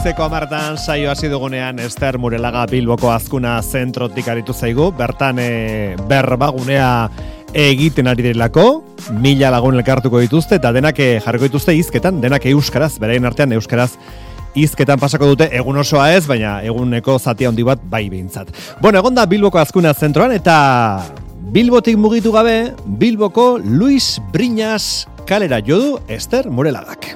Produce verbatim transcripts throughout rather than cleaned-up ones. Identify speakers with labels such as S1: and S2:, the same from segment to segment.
S1: Goizeko hamartan saio hasi dugunean Ester Murelaga Bilboko Azkuna zentrotik aritu zaigu, bertan e, berbagunea egiten ari direlako, mila lagun elkartuko dituzte eta denak jarriko dituzte hizketan, denak euskaraz, beraien artean euskaraz hizketan pasako dute, egun osoa ez, baina eguneko zati handi bat bai behintzat. Bueno, egon da Bilboko Azkuna zentroan eta Bilbotik mugitu gabe, Bilboko Luis Briñas kalera jo du Ester Murelagak.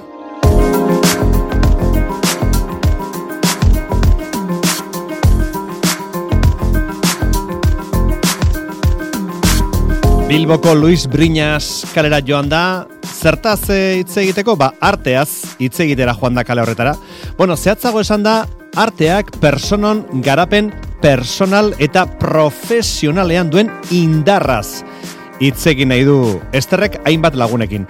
S1: Bilboko Luis Briñas kalera joan da, zertaz hitz egiteko, ba, arteaz hitz egitera joan da kale horretara. Bueno, zehatzago esan da, arteak personon garapen personal eta profesionalean duen indarraz hitz egin nahi du Esterrek hainbat lagunekin.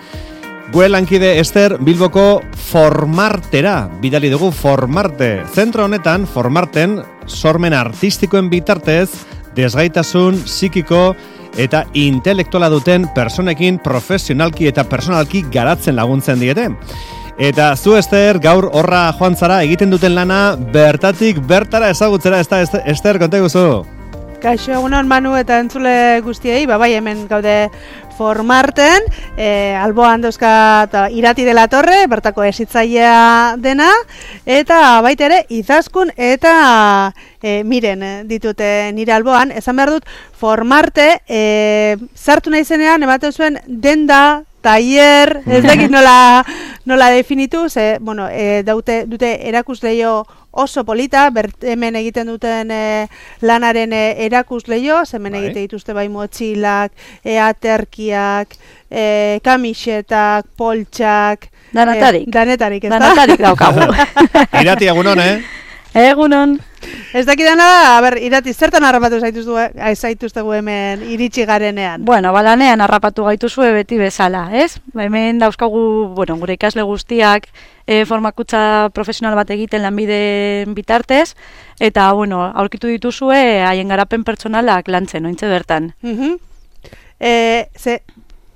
S1: Gure lankide Ester Bilboko Formartera bidali dugu. Formarte. Zentro honetan, Formarten, sormen artistikoen bitartez, desgaitasun psikiko eta intelektuala duten personekin profesionalki eta personalki garatzen laguntzen diete. Eta zu, Ester, gaur horra joan zara egiten duten lana bertatik bertara ezagutzera, ez da, Ester, konta guzu?
S2: Kaixo, egunon Manu eta entzule guztiei, ba, bai hemen gaude Formarten, e, alboan dauzkat Irati de la Torre, bertako hezitzailea dena, eta baita ere Izaskun eta e, Miren ditute nire alboan. Esan behar dut, Formarte, e, sartu nahi zenean, ematen zuen denda, tailer, ez dakit nola, nola definitu, ze, bueno, e, daute, dute erakusleio oso polita, bert, hemen egiten duten e, lanaren e, erakusleio, hemen egite dituzte bai motxilak, e, aterkiak, e, kamisetak, poltsak,
S3: danetarik.
S2: E, danetarik, ez da?
S3: Danetarik daukagu.
S1: Irati, egunon, eh?
S3: Egunon.
S2: Ez dakidana, a ber, Irati, zertan harrapatu zaituztegu hemen iritsi garenean?
S3: Bueno, balanean harrapatu gaituzue beti bezala, ez? Hemen dauzkagu, bueno, gure ikasle guztiak e, formakutza profesional bat egiten lanbideen bitartez, eta, bueno, aurkitu dituzue haien garapen pertsonalak lantzen, ointze bertan.
S2: Uh-huh. e, ze,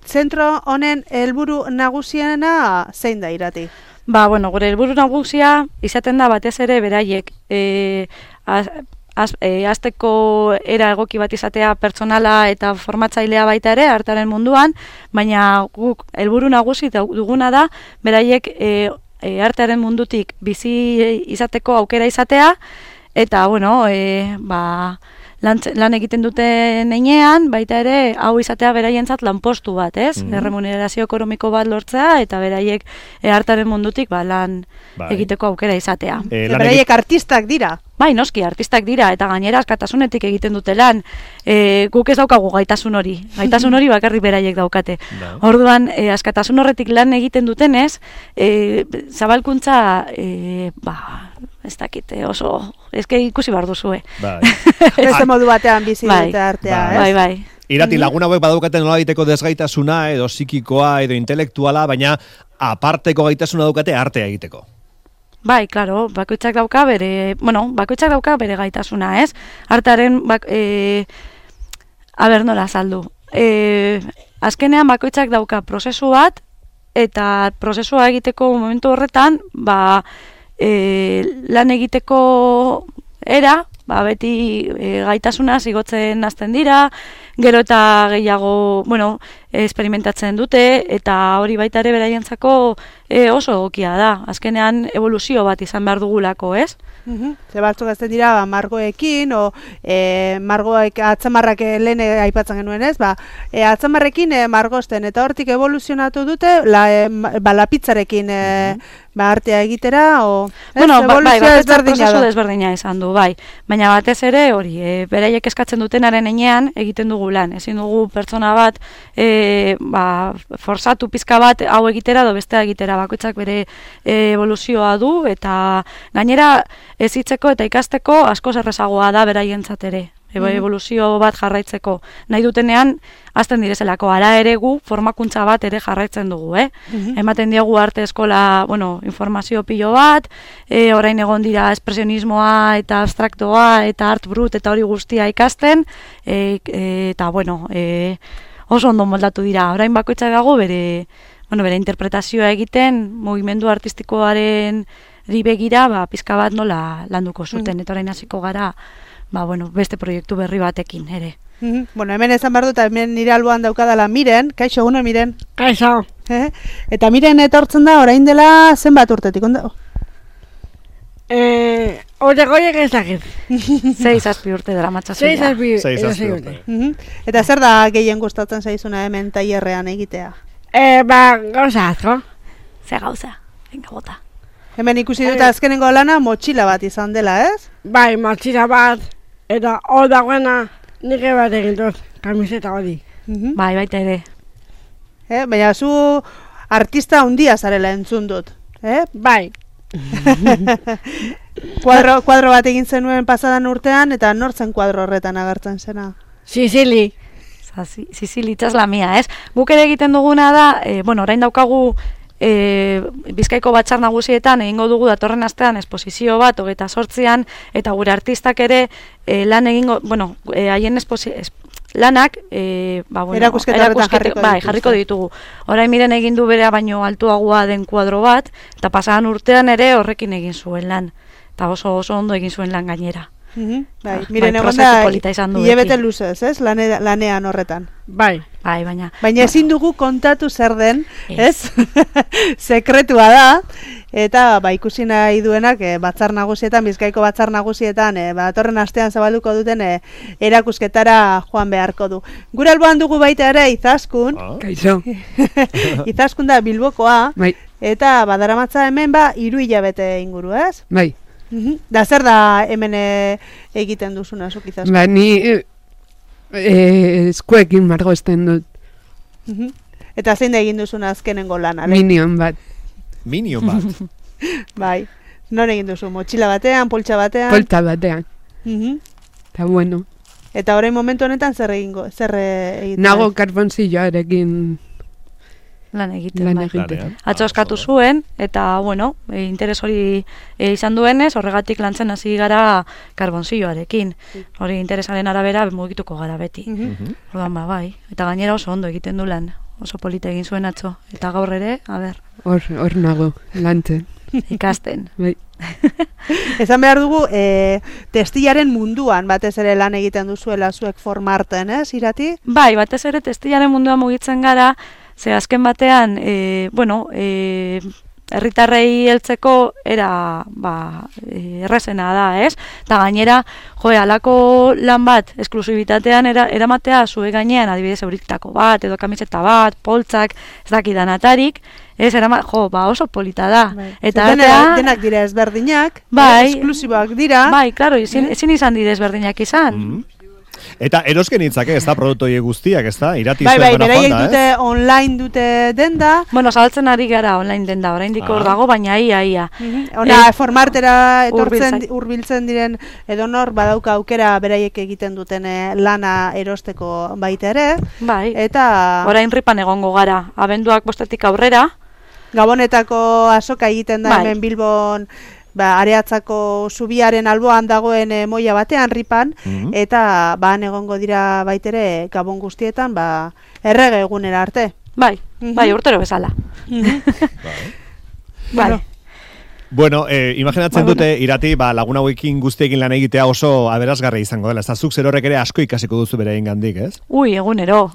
S2: zentro honen helburu nagusiena zein da, Irati?
S3: Ba, bueno, gure helburu nagusia izaten da batez ere beraiek e, az, az, e, azteko era egoki bat izatea pertsonala eta formatzailea baita ere artearen munduan, baina guk helburu nagusi duguna da beraiek e, e, artearen mundutik bizi izateko aukera izatea eta, bueno, e, ba, lan, lan egiten duten heinean, baita ere, hau izatea beraientzat lanpostu bat, ez? Mm-hmm. Erremunerazio ekonomiko bat lortzea, eta beraiek e, artaren mundutik ba, lan bai. Egiteko aukera izatea.
S2: E, beraiek artistak dira?
S3: Bai, noski, artistak dira, eta gainera askatasunetik egiten dute lan. E, guk ez daukagu gaitasun hori. Gaitasun hori bakarrik beraiek daukate. No. Orduan, e, askatasun horretik lan egiten dutenez, e, zabalkuntza, e, ba, ez dakite, oso, ezke ikusi behar duzue.
S1: Bai.
S2: Beste modu batean bizi
S3: bai.
S2: Dute artea,
S3: bai,
S2: ez?
S3: Bai, bai.
S1: Irati, lagun hauek badaukaten nola egiteko desgaitasuna, edo psikikoa, edo intelektuala, baina aparteko gaitasuna daukate artea egiteko.
S3: Bai, claro, bakoitzak dauka bere, bueno, bakoitzak dauka bere gaitasuna, ez? Artearen, bak, e, a ber, nola azaldu. E, azkenean bakoitzak dauka prozesu bat, eta prozesua egiteko momentu horretan, ba, e, lan egiteko era, ba, beti e, gaitasuna zigotzen hasten dira, gero eta gehiago, bueno, experimentatzen dute, eta hori baita ere beraientzako e, oso egokia da. Azkenean evoluzio bat izan behar dugulako, ez?
S2: Uh-huh. Ze batzuk azten dira, ba, margoekin, o e, margoek atzamarrak lehen aipatzen genuen, ez? Ba, e, atzamarrekin e, margosten, eta hortik evoluzionatu dute, la, e, ba, lapitzarekin e, uh-huh. ba, artea egitera, o...
S3: Bueno,
S2: ez,
S3: ba, bai, batetzak
S2: prozesu
S3: desberdina izan du, bai. Baina batez ere, hori, e, beraiek eskatzen dutenaren heinean egiten dugu lan. Ezin dugu pertsona bat, e, ba, forzatu pizka bat hau egitera edo bestea egitera, bakoitzak bere e, evoluzioa du, eta gainera ezitzeko eta ikasteko asko errazagoa da beraientzat ere. Evoluzio bat jarraitzeko. Nahi dutenean, azten direzelako, ara ere gu formakuntza bat ere jarraitzen dugu, eh? Uh-huh. Ematen diogu arte eskola, bueno, informazio pilo bat, e, orain egon dira espresionismoa eta abstraktoa eta art brut eta hori guztia ikasten, e, e, eta, bueno, e, oso ondo moldatu dira. Orain bakoitzak dago bere, bueno, bere interpretazioa egiten, mugimendu artistikoaren begira, ba, pizka bat nola landuko zuten, eta orain hasiko gara, ba, bueno, beste proiektu berri batekin ere.
S2: Mm-hmm. Bueno, hemen esan behar dut, hemen nire alboan daukadala Miren, kaixo, egunon Miren.
S4: Kaixo.
S2: Eh? Eta Miren etortzen da, orain dela zenbat urtetik, ondo?
S4: Eh, Ore goiek ez dakit.
S3: Sei zazpi urte dara matxazu.
S4: Sei zazpi
S1: Sei zazpi urte.
S2: Mm-hmm. Eta zer da gehien gustatzen zaizuna hemen tailerrean egitea?
S4: Eh, ba, gauza asko.
S3: Ze gauza, venga bota.
S2: Hemen ikusi dut azkenengo lana motxila bat izan dela, ez?
S4: Bai, motxila bat, eta hor dagoena nire bat egin dut, kamiseta hori.
S2: Mm-hmm.
S3: Bai, baita ere.
S2: Eh? Baina zu artista handia zarela entzun dut, eh?
S4: Bai.
S2: kuadro, kuadro bat egin zenuen pasadan urtean, eta nortzen kuadro horretan agertzen zena?
S4: Sicili.
S3: Sicili itxas la mia, ez? Guk ere egiten duguna da, e, bueno, orain daukagu e, Bizkaiko batzar nagusietan egingo dugu datorren astean esposizio bat, hogeita sortzian, eta gure artistak ere e, lan egingo, bueno, e, haien esposizio, lanak, e, ba, bueno,
S2: erakusketan jarriko,
S3: bai, jarriko ditugu. Orain Miren egin du berea baino altuagoa den kuadro bat, eta pasadan urtean ere horrekin egin zuen lan. Eta oso oso ondo egin zuen lan gainera.
S2: Mm-hmm. Bai,
S3: Ah,
S2: Miren
S3: bai,
S2: egon
S3: prozesu
S2: da, hilabete luzez, ez? Lane, lanean horretan.
S4: Bai.
S3: Bai, baina.
S2: Baina ezin dugu kontatu zer den,
S3: Ez.
S2: ez? Sekretua da, eta ba, ikusi nahi duenak e, batzar nagusietan, Bizkaiko batzar nagusietan, e, ba, datorren astean zabalduko duten e, erakusketara joan beharko du. Gure alboan dugu baita ere Izaskun,
S1: Ah.
S4: Kaixo.
S2: Izaskun da Bilbokoa,
S4: Bai.
S2: eta badaramatza hemen ba, hiru hilabete inguru, ez?
S4: Bai.
S2: Mhm. Da zer da hemen e, egiten duzuna, zuk Izaskun?
S4: Ba, ni eh, eh, eskuekin margozten dut.
S2: Mhm. Eta zein da egin duzuna azkenengo lana? le?
S4: Minion bat.
S1: Minion bat.
S2: Bai, non egin duzu? Motxila batean, poltsa batean?
S4: Polta batean.
S2: Mhm.
S4: Eta bueno.
S2: Eta orain momentu honetan zer egingo, zer eh, egiten?
S4: Nago karbonzilloarekin
S3: Lan egiten,
S4: lan
S3: bai.
S4: egiten.
S1: Lanean.
S3: Atzo eskatu zuen, eta, bueno, e, interes hori e, izan duenez, horregatik lantzen hasi gara karbonzilloarekin. Hori interesaren arabera mugituko gara beti.
S2: Mhm.
S1: Mhm.
S3: Orduan, ba, bai. Eta gainera oso ondo egiten du lan. Oso polita egin zuen atzo. Eta gaur ere, a ber,
S4: Hor, hor nago, lantzen.
S3: ikasten.
S4: Bai.
S2: Esan behar dugu, e, testilaren munduan batez ere lan egiten duzuela zuek formarten, ez, Irati?
S3: Bai, batez ere testilaren mundua mugitzen gara, ze azken batean, e, bueno, e, herritarrei heltzeko era ba, e, errazena da, ez? Eta gainera, jo, halako lan bat esklusibitatean era, eramatea zue gainean, adibidez euritako bat, edo kamiseta bat, poltsak, ez dakidanatarik, ez, erama, jo, ba oso polita da. Eta
S2: Dena,
S3: artea-
S2: denak dira ezberdinak,
S3: Bai.
S2: eh, esklusiboak dira.
S3: Bai, claro, ezin, ezin izan didez berdinak izan.
S1: Mhm. Eta erosken hitzake, ez da, produktu horiek guztiak, ez da, Irati
S2: Bai, bai,
S1: zuen
S2: beraiek
S1: joan da,
S2: dute online dute denda.
S3: Bueno, zabaltzen ari gara online denda, oraindik hor
S1: Ah.
S3: dago, baina ia, ia.
S2: Ona, formartera etortzen,
S3: hurbiltzai-
S2: hurbiltzen diren edonor badauka aukera beraiek egiten duten eh, lana erosteko baita ere.
S3: Bai,
S2: Eta
S3: orain ripan egongo gara, abenduak bostetik aurrera,
S2: Gabonetako azoka egiten da
S3: Bai.
S2: hemen Bilbon, ba, Areatzako zubiaren alboan dagoen e, moia batean ripan,
S1: Mhm.
S2: eta ba, han egongo dira baitere Gabon guztietan, ba, errege egunera arte.
S3: bai,
S2: Mhm.
S3: bai, urtero bezala.
S1: Bai.
S3: Bai,
S1: Bueno, eh, imaginatzen
S3: Ba,
S1: dute, Irati, ba, lagun hauekin guztiekin lan egitea oso aberasgarri izango dela. Ez da, zuk zer horrek ere asko ikasiko duzu bere gandik, ez?
S3: ui, egunero.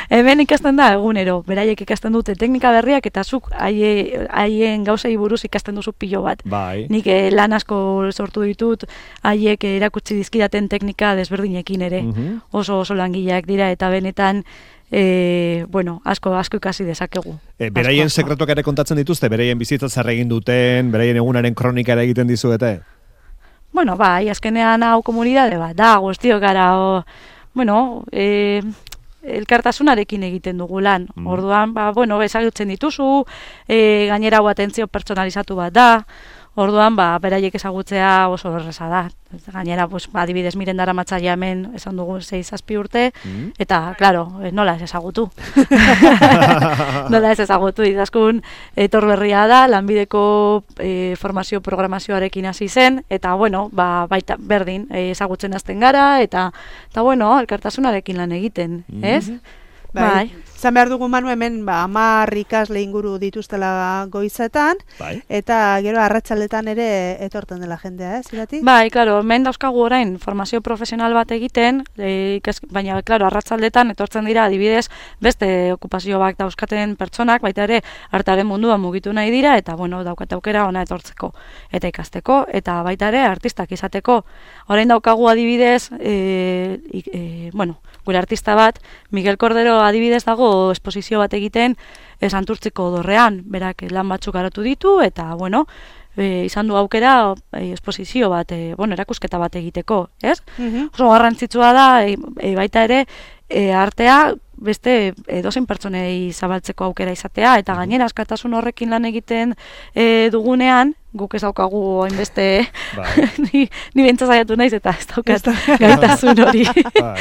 S3: Hemen ikasten da egunero, beraiek ikasten dute teknika berriak eta zuk haie- haien gauzei buruz ikasten duzu pilo bat.
S1: Bai.
S3: Nik eh, lan asko sortu ditut, haiek eh, erakutsi dizkidaten teknika desberdinekin ere.
S1: Mhm.
S3: Oso oso langileak dira eta benetan e, bueno, asko asko ikasi dezakegu.
S1: E, beraien
S3: Asko, asko.
S1: sekretuak ere kontatzen dituzte, beraien bizitza zer egin duten, beraien egunaren kronika ere egiten dizuete.
S3: Bueno, bai, azkenean hau komunidade bat da, guztiok gara, o, bueno, e, elkartasunarekin egiten dugu lan.
S1: Mm.
S3: Orduan, ba, bueno, ezagutzen dituzu, e, gainera hau atentzio pertsonalizatu bat da, orduan, ba, beraiek ezagutzea oso erreza da. Gainera, pues, ba, adibidez miren dara matzaia hemen, esan dugu sei zazpi urte,
S1: Mm.
S3: eta, claro, eh, nola ez ezagutu. Nola ez ezagutu, izaskun etor berria da, lanbideko e, formazio programazioarekin hasi zen, eta, bueno, ba, baita berdin, e, ezagutzen hasten gara, eta, eta bueno, elkartasunarekin lan egiten, ez? Bai.
S2: Zan behar dugu Manu hemen ba, amar ikasle inguru dituztela goizetan,
S1: Bai.
S2: eta gero arratsaldetan ere etorten dela jendea, ez, irati?
S3: Bai, klaro, hemen dauzkagu orain formazio profesional bat egiten, e, ikas, baina, klaro, arratsaldetan etortzen dira adibidez beste okupazio bat dauzkaten pertsonak, baita ere artaren mundua mugitu nahi dira, eta, bueno, daukat aukera ona etortzeko, eta ikasteko, eta baita ere artistak izateko. Orain daukagu adibidez, e, e, bueno, gure artista bat, Miguel Cordero adibidez dago esposizio bat egiten e, Santurtziko dorrean, berak lan batzuk garatu ditu, eta, bueno, e, izan du aukera e, esposizio bat, e, bueno, erakusketa bat egiteko, ez?
S2: Mhm.
S3: Oso garrantzitsua da, e, e, baita ere, e, artea beste edozein pertsonei zabaltzeko aukera izatea, eta gainera askatasun horrekin lan egiten e, dugunean, guk ez daukagu hainbeste,
S1: Bai.
S3: ni, ni bentsa saiatu naiz eta ez daukat gaitasun hori.
S1: Bai.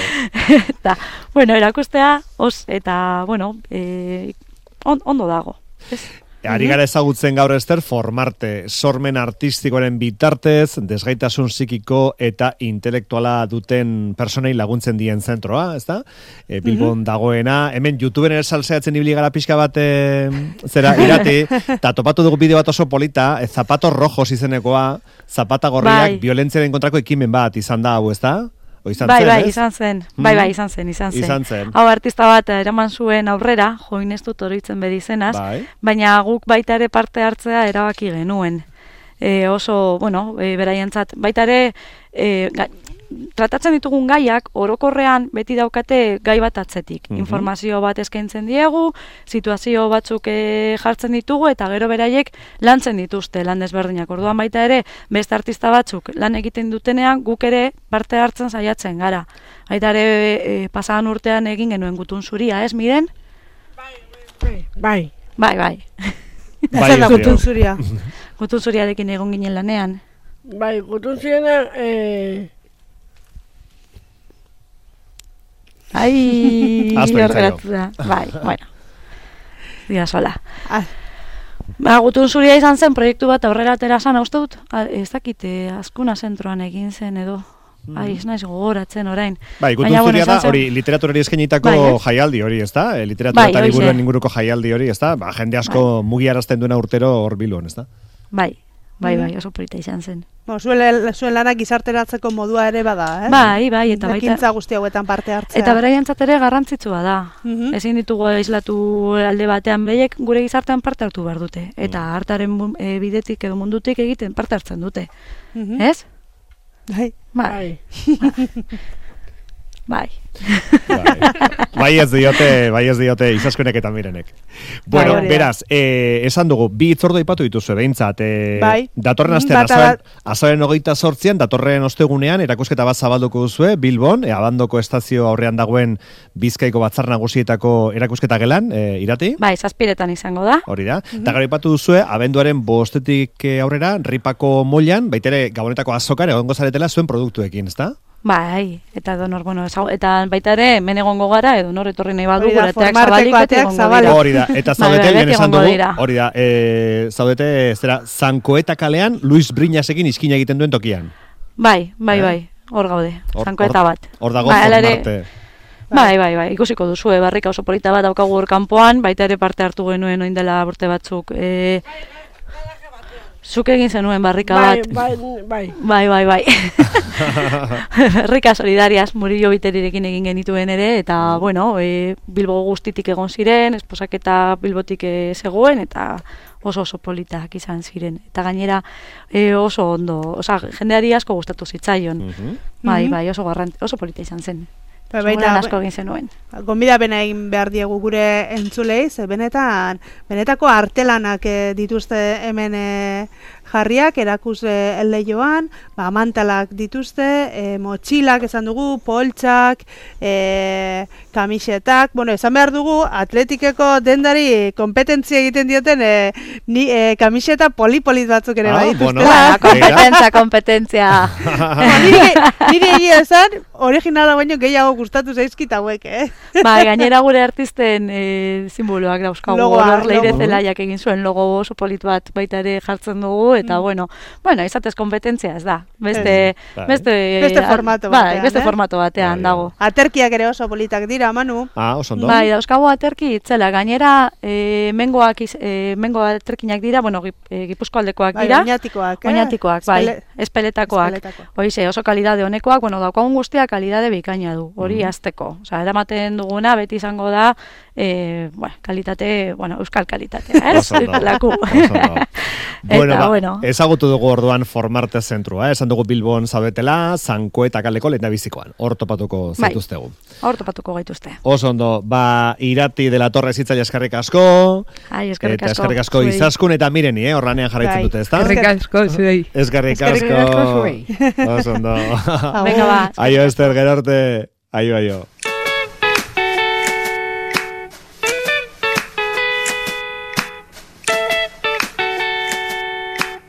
S3: Eta, bueno, erakustea, os, eta, bueno, e, on, ondo dago. Ez?
S1: Ari gara ezagutzen gaur Ester formarte, sormen artistikoaren bitartez, desgaitasun psikiko eta intelektuala duten personei laguntzen dien zentroa, ez da? E, Bilbon dagoena, hemen YouTuberen esalzeatzen ibili gara pixka bat e, zera irati, eta topatu dugu bideo bat oso polita, e, zapatos rojos izenekoa, zapata gorriak,
S3: Bai.
S1: violentziaren kontrako ekimen bat izan da hau, ez da? O izan
S3: Bai,
S1: zen,
S3: bai,
S1: ez?
S3: izan zen. Bai, bai, izan zen, izan zen.
S1: Izan zen.
S3: Hau artista bat eraman zuen aurrera, join ez dut oroitzen bedizenaz,
S1: Bai.
S3: baina guk baita ere parte hartzea erabaki genuen. E, oso, bueno, e, beraientzat, baita ere, e, ga, tratatzen ditugun gaiak orokorrean beti daukate gai bat atzetik.
S1: Mhm.
S3: Informazio bat eskaintzen diegu, situazio batzuk e, jartzen ditugu eta gero beraiek lantzen dituzte lan desberdinak. Orduan baita ere beste artista batzuk lan egiten dutenean guk ere parte hartzen saiatzen gara. Baita ere e, pasadan urtean egin genuen Gutun zuria, ez Miren?
S4: Bai. Bai.
S3: Bai, bai.
S1: Bai,
S2: Zer da
S1: ez dio.
S2: Gutun zuria?
S3: Gutun zuriarekin egon ginen lanean.
S4: Bai, gutun ziena, eh,
S3: Ai,
S1: Ahaztu
S3: hor
S1: ditzaio.
S3: geratu da. Bai, bueno. Dira sola.
S2: Ah,
S3: Ba, Gutun zuria izan zen proiektu bat aurrera atera zan, uste dut, a- ez dakite, Azkuna zentroan egin zen edo. Ai, ez naiz gogoratzen orain.
S1: Bai, Gutun
S3: Baina, bueno,
S1: zuria da,
S3: izan zen-
S1: hori literaturari eskainitako
S3: Bai, ez?
S1: jaialdi hori, ez da? E, literatura
S3: Bai,
S1: eta
S3: horixe.
S1: liburuen inguruko jaialdi hori, ez da? Ba, jende asko mugiarazten duena urtero hor Bilbon, ez da?
S3: Bai, bai, bai, oso polita izan zen.
S2: Bo, zuen, zuen lanak gizarteratzeko modua ere bada, eh?
S3: Bai, bai, eta baita...
S2: Ekintza guzti hauetan parte hartzea.
S3: Eta beraientzat ere garrantzitsua da.
S2: Mhm.
S3: Ezin ditugu aislatu alde batean, beraiek gure gizartean parte hartu behar dute. Eta hartaren mu- e, bidetik edo mundutik egiten parte hartzen dute.
S2: Mhm.
S3: Ez?
S2: Bai.
S3: Bai,
S4: bai.
S3: bai.
S1: Bai. Bai ez diote, bai ez diote Izaskunek eta Mirenek. Bueno,
S2: Bai, hori da.
S1: beraz, eh, esan dugu, bi hitzordu aipatu dituzu behintzat. Eh,
S2: Bai.
S1: Datorren
S2: Mm,
S1: astean,
S2: bata
S1: azaroen,
S2: bat-
S1: azaroen hogeita sortzian, datorren ostegunean, erakusketa bat zabalduko duzue, Bilbon, e, Abandoko estazio aurrean dagoen Bizkaiko batzar nagusietako erakusketa gelan, e, irati?
S3: Bai, zazpiretan izango da.
S1: Hori da. Eta gero aipatu duzue, abenduaren bostetik eh, aurrera, Ripako moilan, baitere Gabonetako azokan egongo zaretela zuen produktuekin, ezta?
S3: Bai, eta donor, bueno, ezau- eta baita ere, hemen egongo gara, edo nor etorri nahi badu,
S2: Hori da,
S3: gure ateak
S2: formarteko
S3: zabalik, beti
S2: ateak
S3: egongo
S2: zabalik.
S3: dira.
S1: Hori da, eta
S3: Bai,
S1: zaudete,
S3: bai,
S1: lehen
S3: beti
S1: esan
S3: egongo
S1: dugu,
S3: dira.
S1: hori da, e, zaudete, zera, Zankoeta kalean, Luis Briñasekin iskina egiten duen tokian.
S3: Bai, bai,
S1: Eh?
S3: bai, hor gaude,
S1: Hor-
S3: zankoeta
S1: hor-
S3: bat.
S1: Hor dago
S3: Bai, hala ere-
S1: formarte.
S3: Bai, bai, bai, ikusiko duzu, e, barrika oso polita bat daukagu hor kanpoan, baita ere parte hartu genuen oin dela urte batzuk. E, zuk egin zenuen barrika
S4: Bai,
S3: bat.
S4: bai, bai.
S3: Bai, bai, bai. Herrika solidarias, Murillo Biterirekin egin genituen ere, eta, bueno, e, Bilbo guztitik egon ziren, esposaketa Bilbotik e, zegoen, eta oso oso politak izan ziren. Eta gainera e, oso ondo, oza, jendeari asko gustatu zitzaion.
S1: Mhm.
S3: Bai,
S2: Mhm.
S3: bai, oso garrant, oso polita izan zen.
S2: Bai,
S3: Seguran
S2: baita-
S3: asko egin zenuen.
S2: Gonbidapena egin behar diegu gure entzulei, ze benetan, benetako artelanak eh, dituzte hemen eh, jarriak, erakusle leioan, ba, mantalak dituzte, e, motxilak esan dugu, poltsak, e, kamisetak, bueno, esan behar dugu, atletikeko dendari kompetentzia egiten dioten e, ni, e, kamiseta poli-polit batzuk ere
S1: Ah,
S2: bai
S1: bueno.
S2: dituztela.
S3: Ba, kompetentzia, kompetentzia.
S2: niri, niri egia esan, originala baino gehiago gustatu zaizkit hauek, eh?
S3: Ba, gainera gure artisten e, simboloak dauzkagu.
S2: Logoa,
S3: Hor Leire
S2: logo.
S3: Zelaiak egin zuen logo oso polit bat baita ere jartzen dugu, eta bueno, bueno, izatez kompetentzia ez da. Beste,
S1: Bai.
S3: beste,
S2: Beste formato
S3: bai,
S2: batean,
S3: beste
S2: eh?
S3: formato batean
S1: Bai,
S3: dago.
S2: Aterkiak ere oso politak dira, Manu.
S1: Ah, oso ondo.
S3: Bai, dauzkagu aterki itzela, gainera e, mengoak, iz- e, mengo aterkinak dira, bueno, gip, e, Gipuzkoaldekoak
S2: Bai,
S3: dira.
S2: oinatikoak, eh?
S3: Oinatikoak, bai,
S2: Espele-
S3: espeletakoak.
S2: espeletakoak.
S3: Hoize, oso kalidade honekoak, bueno, daukagun guztia kalidade bikaina du, hori
S1: Mhm.
S3: hasteko. Osea, eramaten duguna beti izango da, e, bueno, kalitate, bueno, euskal kalitatea, ez?
S1: Oso ondo,
S3: Laku.
S1: oso ondo. Bueno,
S3: Eta,
S1: ba,
S3: bueno.
S1: ezagutu dugu orduan Formarte zentrua, eh? Esan dugu Bilbon zaudetela, Zanko eta kaleko lehendabizikoan. Hor topatuko
S3: Bai.
S1: zaituztegu.
S3: Hor topatuko gaituzte.
S1: Oso ondo, ba, Irati de la Torre zitzaile eskerrik asko,
S3: Ai, eskerrik
S1: eta
S3: asko.
S1: eskerrik asko
S3: zuei.
S1: Izaskun eta Mireni, eh? Horranean jarraitzen
S2: Bai.
S1: dute, ezta?
S2: Eskerrik
S5: asko zuei.
S1: Eskerrik
S2: Eskerrik
S1: asko.
S5: asko zuei.
S1: Oso ondo.
S3: Venga, ba.
S1: Aio, Ester, gero arte. Aio, aio.